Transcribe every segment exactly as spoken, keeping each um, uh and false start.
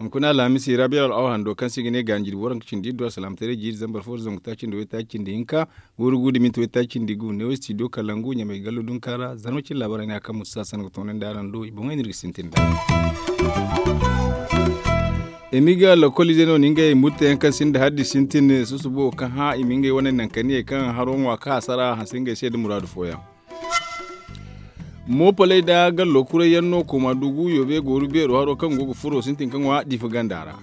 Hunkuna alhamisi rabiya al'awa hando kaŋ se i ga ne gaani jirbi waranka cindi iddu alsalaamataray jiiri zambar fo da zangu taaci nda waytaaci cindi hinka, guuru guuru da minti waytaaci cindi gu neewo studio kalangu ɲamay gallo dunka ra zarma cine laabaarey no ya kaŋ musa sanda ga toonandi araŋ do i boŋey no iri ga sintin nd'a. Emiga lokolize no na ngey murtayaŋ kaŋ sinda haddi sintin susubo kaŋ hã i ma ngey wane nankaniye kaŋ haro ŋwa ka hasara hanse ngey se nda muraadu fooyaŋ. Moopoley nda gallo kurayyaŋ no kooma dugu yoobe gooru beero haro kaŋ go ga furo sintin ka ŋwa diifa ganda ra.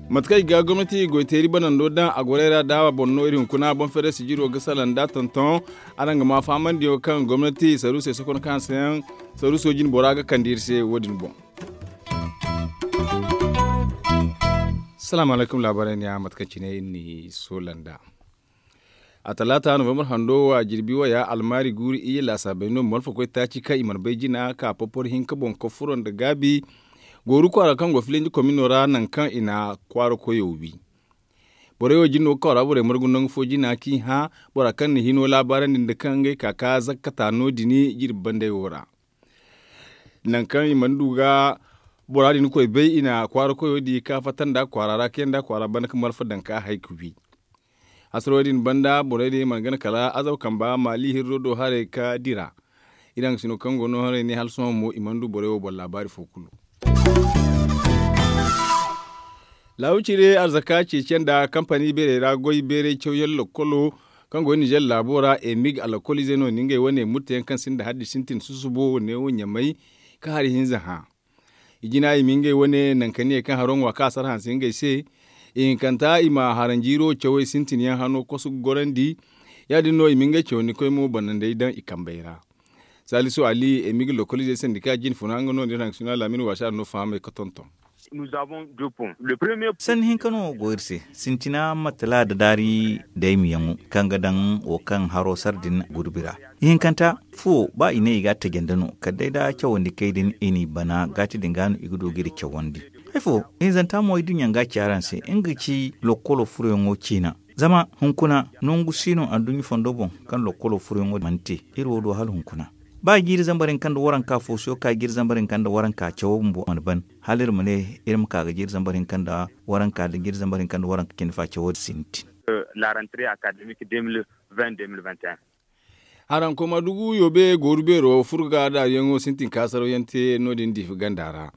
Mate kaŋ i ga gomnati goyteeri banando daŋ a gorey ra daawa boŋ no iri hunkuna boŋ fere sijiro ga salaŋ nd'a tonton. Araŋ ga ma fahamandiyo kaŋ gomnati saruusey sokon kaŋ hanseyaŋ saruuso jine bora ga kande iri se wo- din boŋ. Salaamu alaykum laabaarey ne a mate kaŋ cine iri n'i soola nd'a. A talaata novembar hando wo a jirbi waya almaari guuru iyye laasaabey no malfa koy taaci kaŋ i mana bay jina ka popor hinka boŋ ka furo nda gaabi. Gooru kwaara kaŋ go filinji komino ra nangu kaŋ i na kwaara koyo wi. Borey wo jine no ga kwaara borey margu nangu fo jina kaŋ i hã bora kaŋ na hino laabaarandi nda kaŋ ngey ka ka zakkata no- din jirbi bandey wo ra. Nangu kaŋ i mana du ga bora din koy bay i na kwaara koyo di ka fatta nda kwaara ra kaŋ yaŋ da kwaara banda ka malfa daŋ ka hay ka wi. Hasarey din banda borey din mana gana kala azaw kamba maali hirro do haray ka dira. Iri haŋ ga sino kaŋ go no haray ne hala sohõ mo i mana du borey wo boŋ laabaari fo kulu. Laawu cire arzaka ceeciyaŋ nda kampani beerey ra goy beeray cawyaŋ lakkolo kaŋ go ninzeer laabo ra emig alakolize no na ngey wane murtayaŋ kaŋ sinda haddi sintin susubo neewo ɲamay ka hari hinza hã. I jina i ma ngey wane nankaniye kaŋ haro ŋwa ka sara hanse ngey se. I hinkanta i ma haranjiiro cawey sintinyaŋ hano kosu ga gorandi. Ya- din no i ma ngey cawandi koy mo banandey daŋ i kambey ra. Salisu ali emig lokolize sandika jine funa nga no nda iri haŋ suna laamin waasi a no fahamey ka tonton. Sanni hinka no go iri se sintina matala da daari daymiyaŋo kaŋ ga daŋ wo kaŋ haro sara din gurbi ra. Ihinkanta fuwo ba i ne i ga a tajandi no kala day da cawandi kay din i n'i bana gaati din ga no i ga du ga iri cawandi. Hay fo ihinzanta mo ay duɲɲa ga ci araŋ se nga ga ci lokkolo furoyaŋo ciina. Zama hunkuna nangu si no adduɲɲa fondo boŋ kaŋ lokkolo furoyaŋo mana te. Iri wo do hala hunkuna ba jiiri zambar hinka nda waranka fo siyo ka jiiri zambar hinka nda waranka cawo bumbo mana ban. Hala iri ma ne iri ma ka ga jiiri zambar hinka nda waranka da jiiri zambar hinka nda waranka cindi fa cawo sintin. Haraŋ kooma dugu yoobe gooru beero furga daariyaŋo sintin ka sarawyaŋ te no- din diifa ganda ra.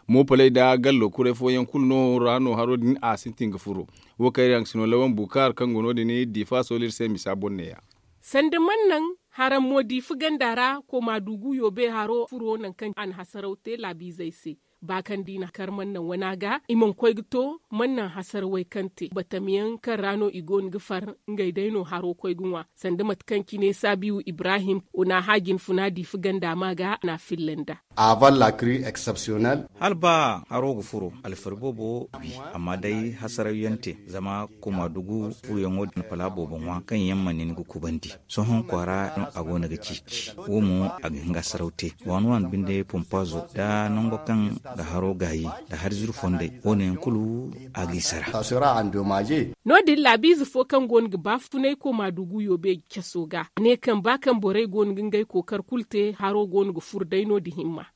Moopoley nda gallo kuray fooyaŋ kulu no ra no haro din a sintin ga furo. Wo kaŋ iri haŋ ga sino lawan bukaar kaŋ go no- din diifa sooli iri se misa boŋ neeya. Sanda mannaŋ haraŋ mo diifa ganda ra kooma dugu yoobe haro furo nangu kaŋ a na hasaraw te laabiizey se. Ba kaŋ da i na kar mannaŋ wana ga i mana koy ga to mannaŋ hasarawey kaŋ te batamyaŋ kaŋ ra no i go no ga far. Ngey day no haro koy ga ŋwa sanda mate kaŋ cine saabiyu ibrahim o na a hã jinfuna diifa ganda ma ga a na a filla nd'a. Hala ba haro ga furo alfari boobo wi amma day hasarawyaŋ te zama kooma dugu furoyaŋo din pala boobo ŋwa kaŋ yaŋ mana ni ga kubandi. Sohõ kwaara no a go no ga ceeci wo mo a ga hin ga hasaraw te waani waani binde pompaazo nda nango kaŋ ga haro gaayi nda hari zuru fondey wo- ne yaŋ kulu a g'i sara. No- din laabiize fo kaŋ go no ga baafunay kooma dugu yoobe caso ga a ne kaŋ ba kaŋ borey go no ga ngey kookar kulu te haro go no ga furo day no- din himma.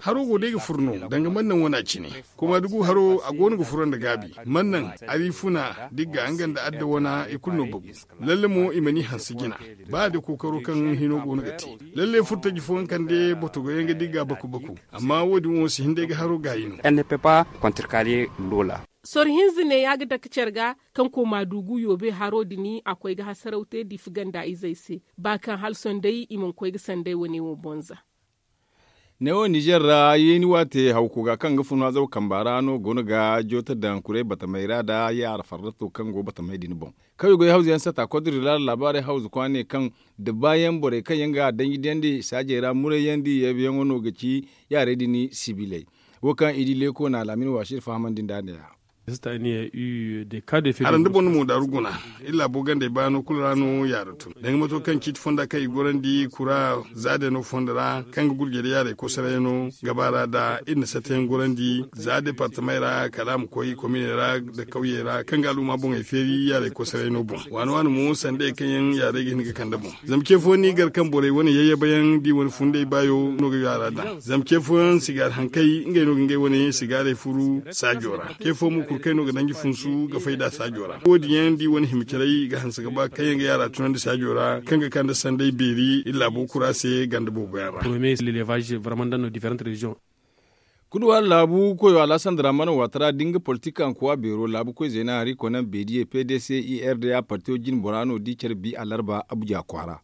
Haro go day ga furo no danga mannaŋ wana cine. Kooma dugu haro a go no ga furo nda gaabi mannaŋ, arifuna, digga nga nda adda wana i kulu no bagu. Lalle mo i mana i hanse jina ba da kookaro kaŋ hino go no ga te. Lalle furo taji fooyaŋ kande botogoyaŋ ga digga baku baku. Amma wo- din wo si hin day ga haro gaayi no. Soro hinza ne ya ga dake care ga kaŋ kooma dugu yoobe haro din a koy ga hasaraw te diifa ganda izey se ba kaŋ hala sohõ day i mana koy ga sanday wane wo bonza. Neewo ninzeer ra yeeni waate hawko ga kaŋ ga fun azaw kamba ra no go no ga joote daŋ kuray batamey ra nda yaara farrato kaŋ go batamey din boŋ. Kaŋ i goy hawza yaŋ sata kodri ra laabaarey hawza kwaaney kaŋ da baayaŋ borey kaŋ yaŋ ga a danji diyandi saajey ra murayyaŋ da i yeebayaŋo no ga ci yaarey din sibiley. Wo kaŋ i di leeko na alaamin waasi iri fahamandi nd'a ne- ya. Hara nda boro na mo daaru guna, iri laabo gandey baano kulu ra no yaara tun danga mato kaŋ ciiti fonda kaŋ i gorandi kura za day no fondo ra kaŋ ga gurjay da yaaray kosoray no gaba ra da iri na satta yaŋ gorandi za departamey ra kala a ma koy kominey ra nda kawyey ra kaŋ ga al'umma boŋey feeri yaaray kosoray no boŋ. Waani waani mo sanda yaŋ kaŋ yaŋ yaaray ga hin ga kande boŋ. Zama ce fooyaŋ no i gar kaŋ borey wane yayyaba yaŋ da i wane funday baayo no ga yaara daŋ. Zama ce fooyaŋ sigaari hankay ngey no ga ngey wane sigaarey furu saajo ra. Ce fooyaŋ mo kurkay no ga danji funsu ga fay nd'a saajo ra wo- din yaŋ da i wane hima caray ga hanse ga ba kaŋ yaŋ ga yaara tunandi saajo ra kaŋ ga kande sanday beeri iri laabo kura se ganda boobo yaŋ ra. Kulu waani laabu koyo alasan daraman waati ra da nga politik hankuwa beero laabu koy zeena hari konan beediye p d c i r d a partiyo jine bora no da i care bi alarba abuja kwaara.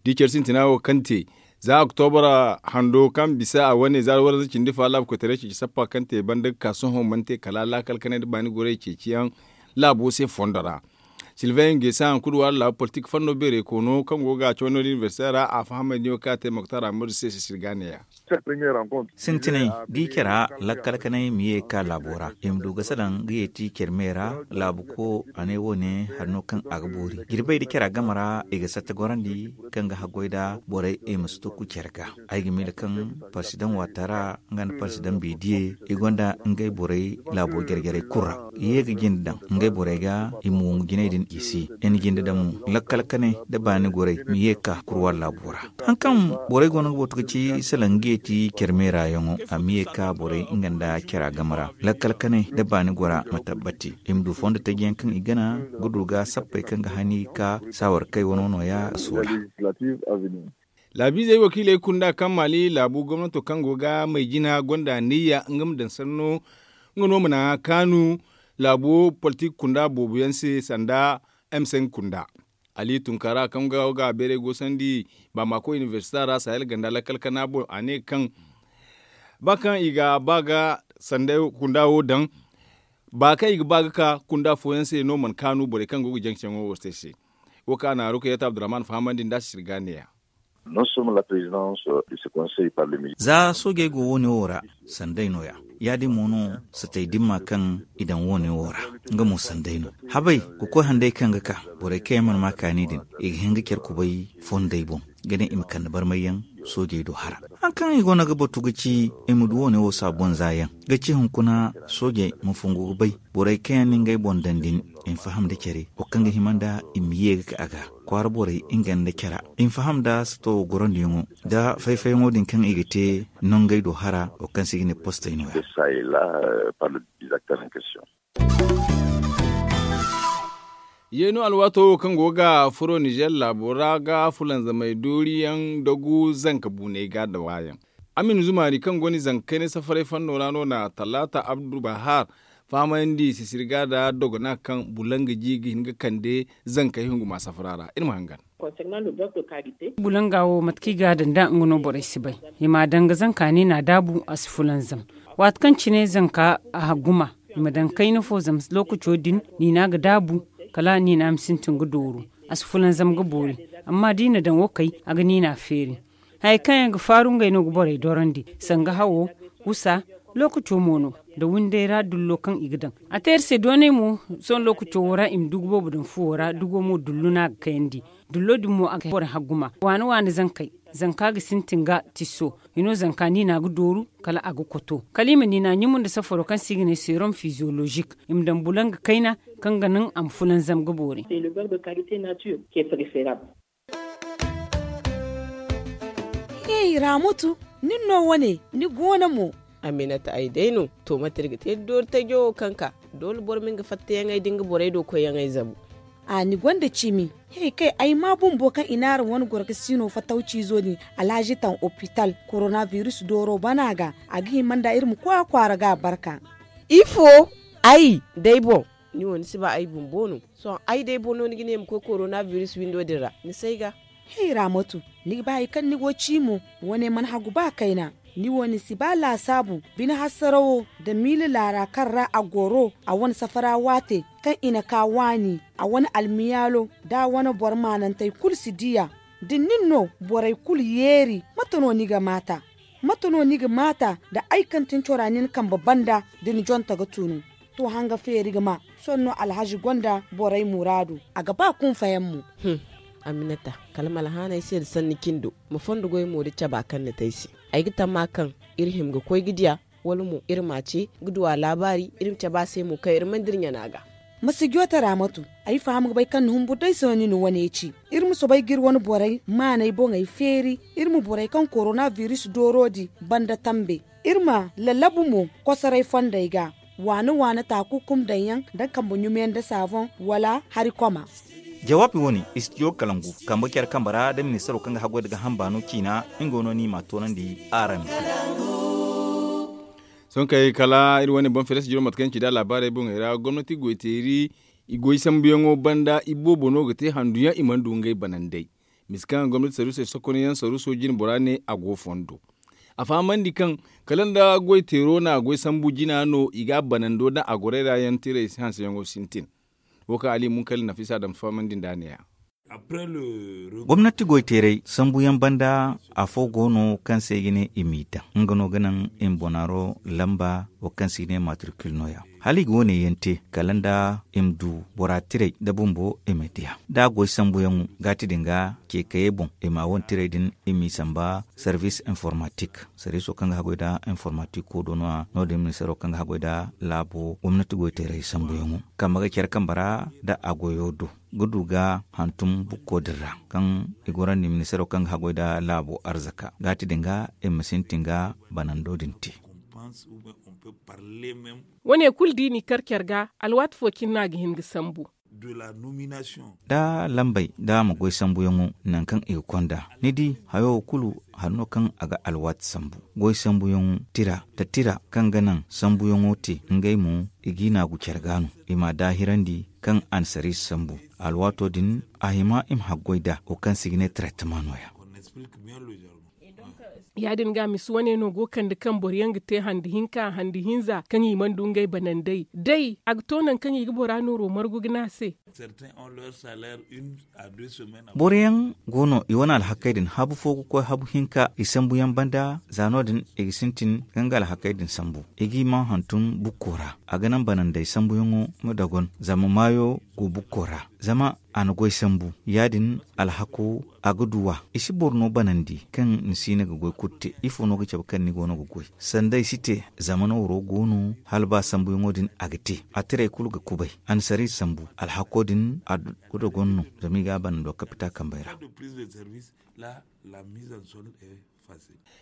Da i care sintina wo kaŋ te za oktobra hando kaŋ bisa a wane za waranza cindi fa laabu koytaray ceeci sappa kaŋ te banda ga ka sohõ mana te kala laakal kanay nda baani goray ceeciyaŋ laabo se fondo ra. Silvain gesa hanku da waala laabu politik fanno beeray koono kaŋ go ga a caw no da inibersite ra a fahamay niyo kaŋ a te moktar amadu se sisir ga neeya. Sintinay da i care lakkal kanay ma ye ga ka laabo ra i ma du ga salaŋ ga yeeti care me ra laabu ko a ne wo- ne hari no kaŋ a ga boori jirbay da care game ra i ga satta gorandi kaŋ ga haggoy nda borey i ma si to ku care ga. Ay ga miila kaŋ parsidaŋ waata ra nga nda parsidaŋ beediye i gonda ngey borey laabo jare-jarey kulu ra. I ye ga jinde daŋ ngey borey ga i ma wangu jinay din i se. I na jinde daŋ mo lakkal kanay nda baani gorey ma ye ga ka kurwa laabo ra. Haŋ kaŋ borey go no ga batu ga ci salaŋ ga yeeti care meeraayaŋo a ma ye ga ka borey nga nda care game ra lakkal kanay nda baani gora ma tabbati i ma du fondo taji yaŋ kaŋ i gana ga du ga sappey kaŋ ga hani ga ka saawar kay wano nooya a soola. Laabiizey wakiiley kunda kaŋ maali laabu gomnato kaŋ go ga may jina gonda niyya nga ma daŋ sanno nga no mana kaanu laabu politik kunda boobo yaŋ se sanda m cinq kunda. Ali tunkara kaŋ ga beeray goosandi bamako inibersita ra sahel ganda lakkal kana boŋ a ne kaŋ ba kaŋ i ga ba ga sanda kunda wo daŋ ba kaŋ i ga ba ga ka kunda fooyaŋ se no mana kaanu borey kaŋ go ga jaŋ caŋo wo se se. Wo kaŋ a na ruka yata abdurrahman fahamandi nda sirga neeya. Za soojey go wo- ne wo ra sanday no- ya ya- din mo no satay dimma kaŋ i daŋ wo- ne wo ra nga mo sanday no. Habay ga koy handay kaŋ ga ka borey kaŋ yaŋ mana ma kaani din i ga hin ga care kubay fondey boŋ ga ne i ma kande barmay yaŋ soojey do hara. Haŋ kaŋ i go no ga batu ga ci i ma du wo- ne wo saabonza yaŋ ga ci hunkuna soojey ma fungu ga bay borey kaŋ yaŋ na ngey boŋ daŋ din i ma faham nda care wo kaŋ ga hima nda i ma ye ga ka a ga kwaara borey nga nda cara i ma faham nda sato gorandiyaŋo nda fay-fayyaŋo din kaŋ i ga te nongey do hara wo kaŋ se i ga ne postey no- ya. Yeeno alwaato wo kaŋ go ga furo nizer laabo ra ga fulanzamey dooriyaŋ dagu zanka buuney ga da waayaŋ. Amin zumaari kaŋ go ni zanka kayna safaray fanno ra no na talaata abdu bahar fahamandi sisirga da dogona kaŋ bulanga ji ga hin ga kande zankey hunguma safara ra iri ma hangan. Bulanga wo mate kaŋ i ga a daŋ da nga no borey si bay i ma a daŋ ga zanka ni na a daabu a si fulanzam. Waati kaŋ cine zanka a hagguma i ma daŋ kayna fo zama lookaco din niina ga daabu kala niina ma sintin ga dooru. A si fulanzam ga boori amma da i na daŋ wo kay a ga niina feeri. Hayey kaŋ yaŋ ga faaru ngey no ga borey dorandi sanga hawo, gusa, lookaco mo no nda windey ra dullo kaŋ i ga daŋ. A te iri se doonay mo sohõ lookaco wo ra i ma dugu boobo daŋ fuwo ra dugo mo dullu no a ga kayandi. Dullo din mo a ga borey hagguma waani waani zankey. Zanka ga sintin ga tisso i no zanka niina ga dooru kala a ga koto kala i ma niina ɲumu nda safaro kaŋ se i ga ne seerom fizyolozik i ma daŋ bulanga kayna kaŋ ga naŋ a ma fulanzam ga boori. Hey raamatu, nin no wane ni go no mo? Aminata ay day no. To mate iri ga te iri doori tajo wo kaŋ ka doole boro ma nga fattayaŋey da nga borey do koyyaŋey zabu. A ni gonda cimi? He kay ay ma bumbo kaŋ i naara wane goro ga siino fattaw ciizo din alhazi taŋ opital korona biris dooro bana ga. A ga hima nda iri ma koy a kwaara ga a barka. Ifo? Ay day boŋ. Ni wo ni si ba ay bumbo no? Sohõ ay day boŋ no ni ga ne ma koy korona biris windo din ra ni si ay ga. Hey raamatu, ni ga ba hari kaŋ ni go ci mo? Wane mana hagu ba kayna. Ni wo ni si ba laasaabu bine hasarawo nda miila laara kaŋ ra a goro a wane safara waate kaŋ i na ka waani a wane almiyaalo da a wane boro maanantey kulu si di a. Da nin no borey kulu yeeri mate no ni ga maata? Mate no ni ga maata nda ay kaŋ tin cora nin kambe banda da ni jonta ga tunu? to hanga feeri ga ma. Sohõ no alhazi gonda borey muraadu. A ga ba kunfayaŋ mo. Aminata, kala ma alhaanay se nda sanni cindo, ma fondo goy mo nda caba kaŋ ni te ay se. Ay ga tamma kaŋ iri hima ga koy ga diya, wala mo iri m'a ce ga du a laabaari, iri ma cabe a se mo kaŋ iri mana dira ɲana ga. Ma si joote raamatu. Ay faham ga bay kaŋ ni humbur day sohõ ni na wane ci. Iri ma soobay ga iri wane borey maanay boŋey feeri. Iri ma borey kaŋ korona biris dooro di banda tambe. Iri ma lallabu mo kosoray fondey ga. Waana waana taaku kum daŋ yaŋ da kambe ɲumiyaŋ nda saaboŋ wala hari koma. Jawaabi wo- ne, istidiyo kalangu kambe care kambe ra nda ministaro kaŋ ga haggoy nda gaaham baano ciina. Nga no no i m'a toonandi araŋ. Sohõ kay kala iri wane boŋ feere sijiro mate kaŋ ci nda alaabaarey boŋey ra gomnati goyteeri. I goy sambuyaŋo banda iboobo no ga te handuyaŋ i mana du ngey banandey. Misa kaŋ gomnati saruusey sokonyaŋ saruuso jine bora ne a go fondo. A fahamandi kaŋ kala nda goyteero na goy sambu jina no i ga a banando nda a gorey ra yaŋ tiray hanseyaŋo sintin. Wo kaŋ ali munkali nafisa dam fahamandi nda a ne ya. Gomnati goyteeray sambuyaŋ banda, afo go no kaŋ se i ga ne i m'i daŋ nga no ga naŋ i ma bonaaro lamba wo kaŋ se i ga ne matrikil no- ya. Hala i ga wo- ne yaŋ te kala nda i ma du bora tiray nda bumbo i ma diya da a goy sambuyaŋo gaati din ga, ceekayey boŋ i ma a wane tiray din i m'i samba. Sarvis informatik sarviso kaŋ ga haggoy nda informatiko do no- ya no- din ministaro kaŋ ga haggoy nda laabo gomnati goyteeray sambuyaŋo kambe ga care kambe ra nda a goyo do ga du ga hantum bukko din ra kaŋ i gorandi ministaro kaŋ ga haggoy nda laabo arzaka gaati din ga i ma sintin ga banando din te. Wane kulu da i n'i kar care ga alwaati fo cine no a ga hin ga sambu. Da lambey da a ma goy sambuyaŋo nangu kaŋ i ga konda ni di hayo wo kulu hari no kaŋ a ga alwaati sambu. Goy sambuyaŋo tira nda tira kaŋ ga naŋ sambuyaŋo te ngey mo i g'i naagu care ga no i m'a daahirandi kaŋ a na sariisi sambu. Alwaato din a hima i ma haggoy nd'a wo kaŋ se i ga ne traitema no- ya. Ya- din ga misa wane no go kande kaŋ boro yaŋ ga te hande hinka hande hinza kaŋ i mana du ngey banandey day a ga to nangu kaŋ i ga bora nooro margu ga ne a se. Boro yaŋ go no i wane alhakey din habu fo ga koy habu hinka i sambu yaŋ banda za no- din i ga sintin ga nga alhakey din sambu i g'i ma hantum bukko ra. A ga naŋ banandey sambuyaŋo ma dogon zama maayo go bukko ra zama a na goy sambu ya- din alhako a ga du a i si boro no banandi kaŋ ni si ne ga goy kulu te ifo no ga cabe kaŋ ni go no ga goy sanda i si te. Zama nooro go no hala ba sambuyaŋo din a ga te a tiray kulu ga kubay a na sariya sambu alhako din a ga dogon no zama i ga a banando kapita kambey ra.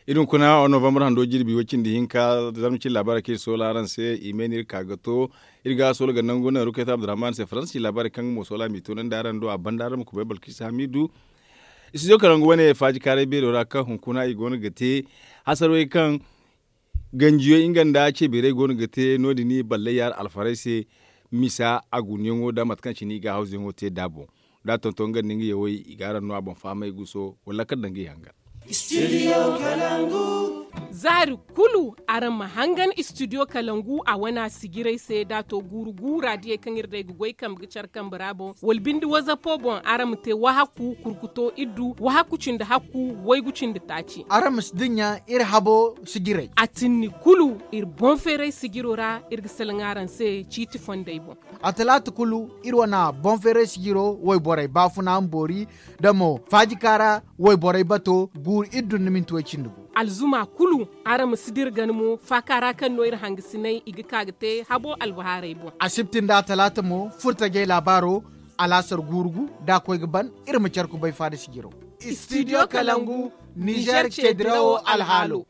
Iri hunkuna wa novembre hando jirbi way cindi hinka zarma cine laabaarey kaŋ iri soola araŋ se i may no iri ka ga to. Iri ga soola ga nangu naŋ rukayta abdurrahman se faransi laabaarey kaŋ nga mo soola m'i toonandi araŋ do a banda araŋ ma kubay balkis hamidu. Studio kalangu wane faaji kaaray beero ra kaŋ hunkuna i go no ga te hasarwey kaŋ ganjiyo nga nda ceebeerey go no ga te no- din i ballay yaara alfarey se. Misa a gunuyaŋo nda mate kaŋ cine i ga hawzuyaŋo te nd'a boŋ da a tonton nga nda nga yawey i ga araŋ no a boŋ fahamay guso wala kala nda nga yaŋ ga. Zaari kulu araŋ ma hangan studio kalangu a wana sijirey se da a to guuru guura diyey kaŋ iri day ga goy kambe ga care kambe ra boŋ wala binde wazapo boŋ araŋ ma te wahaku kurkuto iddu wahaku cindi hakku waygu cindi taaci. Araŋ ma si dinya iri habo sijirey. A tinni kulu iri boŋ feeray sijiro ra iri ga salaŋ araŋ se ciiti fondey boŋ. A talaata kulu iri wane boŋ feeray sijiro wayborey baafuna ma boori da mo faajika ra wayborey bato guuru iri dun da minti way cindi gu. Alzuma kulu araŋ ma si dira gana mo faaka ra kaŋ no iri hangasinay i ga ka ga te habo albahaarey boŋ. Asibti nda atalaata mo furtajey laabaaro alaasar guuru gu da a koy ga ban iri ma care kubay faada sijiro. Studio kalangu nizer ceedirawo alhaalo.